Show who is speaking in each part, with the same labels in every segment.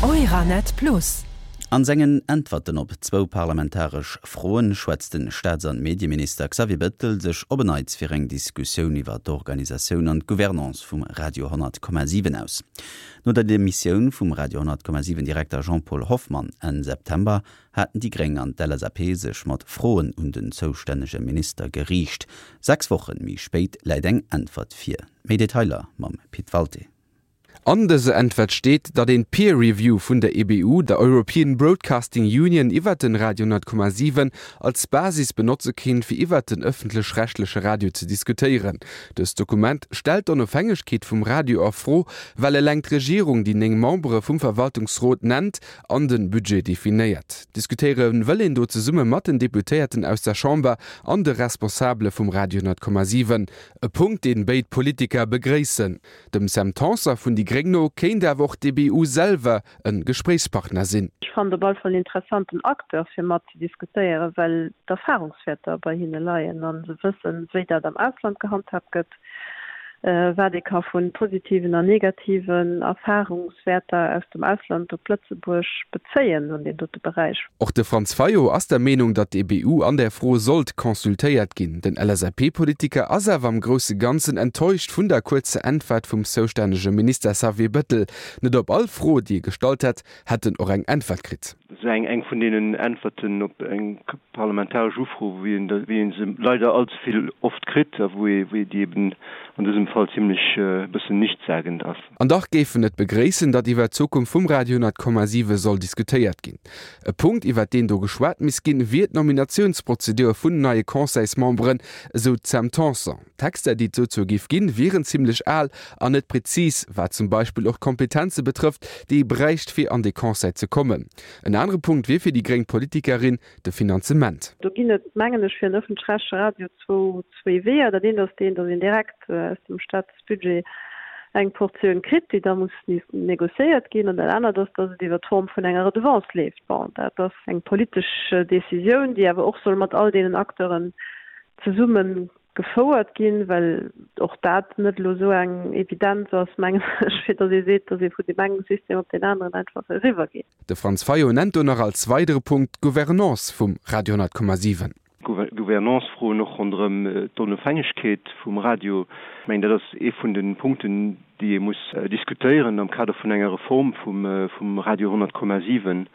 Speaker 1: Euranet Plus.
Speaker 2: An sengen Äntwerten op zwou parlamentaresch Froen schwätzt den Staats an Medieminister Xavier Bettel sech op en Neits fir eng Diskussioun iwwer d'Organisatioun an d'Gouvernance vum Radio 100,7 aus. No der Demissioun vum Radio 100,7 Direkter Jean-Paul Hoffmann Enn September haten déi Gréng an d'LSAP sech mat Froen un den zoustännege Minister geriicht. 6 Wochen méi spéit läit eng Äntwert vir. Méi Detailer mam Pit Walté.
Speaker 3: An dëser Äntwert steet, datt een Peer Review vun der EBU, der European Broadcasting Union, iwwert den Radio 100,7 als Basis benotze kéint, fir iwwert den ëffentlech-rechtleche Radio ze diskutéieren. Dëst Dokument stellt d'Onofhängegkeet vum Radio a Fro, well eleng d'Regierung déi 9 Membere vum Verwaltungsrot nennt an de Budget definéiert. Diskutéiere wëll een do zesumme mat den Deputéierten aus der Chamber an de Responsabele vum Radio 100,7. E Punkt, deen béid Politiker begréissen. Dem Sam Tanson vun déi Gréng no kéint awer och d'EBU selwer e Gespréichspartner sinn.
Speaker 4: Ech fannen et op alle Fall en interessanten Acteur fir mat ze diskutéieren, well d'Erfahrungswäerter bei hinne leien a se wëssen, wéi dat am Ausland gehandhaabt gëtt, wat ee ka vu positiven an negativen Erfahrungswäerter aus dem Ausland op Lëtzebuerg bezéien an deem dote Beräich.
Speaker 3: Och de Franz Fayot ass der Meenung, datt d'EBU an där Fro sollt consultéiert ginn. Den LSAP-Politiker ass awer am grousse Ganzen enttäuscht vun der kuerzer Äntwert vum zoustännege Minister Xavier Bettel. Net op all Fro, déi e gestallt hätt, hätt en och eng Äntwert kritt.
Speaker 5: Dat ass eng vun deenen Äntwerten op eng parlamentaresch Ufro, wéi ee se leider allze vill oft kritt a wou ee déi eben an dësem Fall zimlech e bëssen nichtssagend ass.
Speaker 3: An dach géif en et begréissen, datt iwwer d'Zukunft vum Radio 100,7 soll diskutéiert ginn. E Punkt, iwwer deen do geschwat misst ginn, wier d'Nominatiounsprozedur vun neie Conseilsmemberen, esou d'Sam Tanson. D'Texter, déi et dozou géif ginn, wieren zimmlech al an net prezis, wat zum Beispill och d'Kompetenze betrëfft, déi ee bräicht, fir an dee Conseil ze kommen. En anere Punkt wier fir déi gréng Politikerin de Finanzement.
Speaker 4: Do ginn et, mengen ech, fir en ëffentlech-rechtleche Radio zwou Weeër. Dat eent ass deen, datt een direkt aus dem Staatsbudget eng Portioun kritt, déi da muss négociéiert ginn. An dat anert ass, datt et iwwer d'Form vun enger Redevance leeft. Bon, dat ass eng politesch Décisioun, déi awer och soll mat all deenen Acteuren zesumme gefouert ginn, well och dat net elo esou eng Evidenz ass, mengen ech, fir datt ee seet, datt ee vun deem engem System op deen aneren einfach eriwwergeet.
Speaker 3: De Franz Fayot nennt do nach als weidere Punkt d'Gouvernance vum Radio 100,7.
Speaker 5: Gouvernance-Froen och ronderëm d'Onofhängegkeet vum Radio. Ech mengen, dat ass ee vun de Punkten, déi ee muss diskutéieren am Kader vun enger Reform vum Radio 100,7,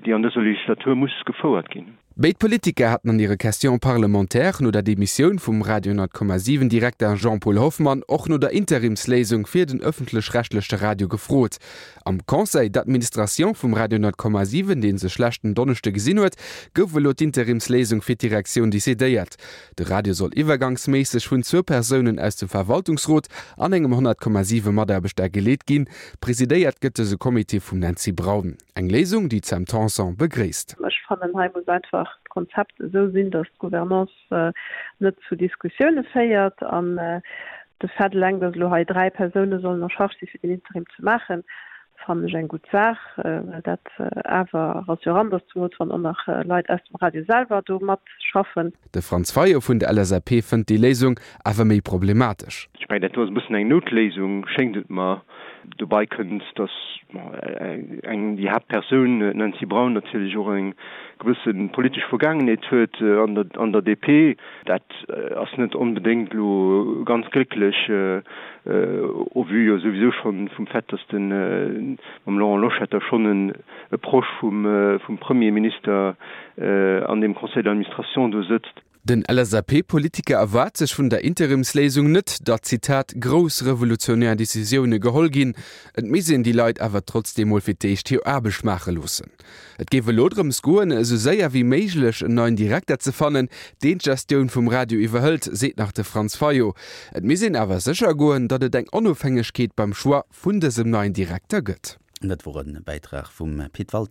Speaker 5: déi an dëser Legislatur muss gefouert ginn.
Speaker 3: Béid Politiker haten an hire Questions parlementaires no der Demissioun vum Radio 100,7 Direkter Jean-Paul Hoffmann och no der Interimsléisung fir den ëffentlech-rechtleche Radio gefrot. Am Conseil d'administration vum Radio 100,7, dee sech leschten Donneschde gesinn huet, gouf elo d'Interimsléisung fir d'Direktioun decidéiert. De Radio soll iwwergangsméisseg vun zwou Persounen aus dem Verwaltungsrot an engem 100,7 Mataarbechter geleet ginn. Presidéiert gëtt dëse Comité vum Nancy Braun. Eng Léisung, déi d'Sam Tanson begréisst.
Speaker 4: Ech fannen, hei muss einfach d'Konzept esou sinn, datt d'Gouvernance net zu Diskussioune féiert. An de Fait eleng, datt elo hei 3 Persoune sollen en charge si fir den Interim ze maachen, fannen ech eng gutt Saach, well dat awer rassurant ass, zemools wann och nach Leit aus dem Radio selwer do matschaffen.
Speaker 3: De Franz Fayot vun der LSAP fënnt déi Léisung awer méi problematesch.
Speaker 5: Ech mengen, dat do ass e bëssen eng Noutléisung, schéngt et mer. Dobei kënnt, datt eng, déi Haaptpersoun, d'Nancy Braun, natierlech och eng gewësse politesch Vergaangenheet huet an der, an der DP. Dat ass net onbedéngt elo ganz glécklech, au vu jo souwisou schonn vum Fait, datt de mam Laurent Loschetter schonn e Proche vum, vum Premierminister an deem Conseil d'administration do sëtzt.
Speaker 3: Den LSAP-Politiker erwaart sech vun der Interimsléisung net, datt, Zitat, grouss revolutionär Decisioune geholl ginn. Et misst een déi Leit awer trotzdeem mol fir d'éischt hir Aarbecht maache loossen. Et géif elo drëms goen, esou séier wéi méiglech en neien Direkter ze fannen, deen d'Gestioun vum Radio iwwerhëlt, seet nach de Franz Fayot. Et misst een awer sécher goen, datt et eng Onofhängegkeet beim Choix vun dësem neien Direkter gëtt.
Speaker 2: Dat wor e Bäitrag vum Pit Walté.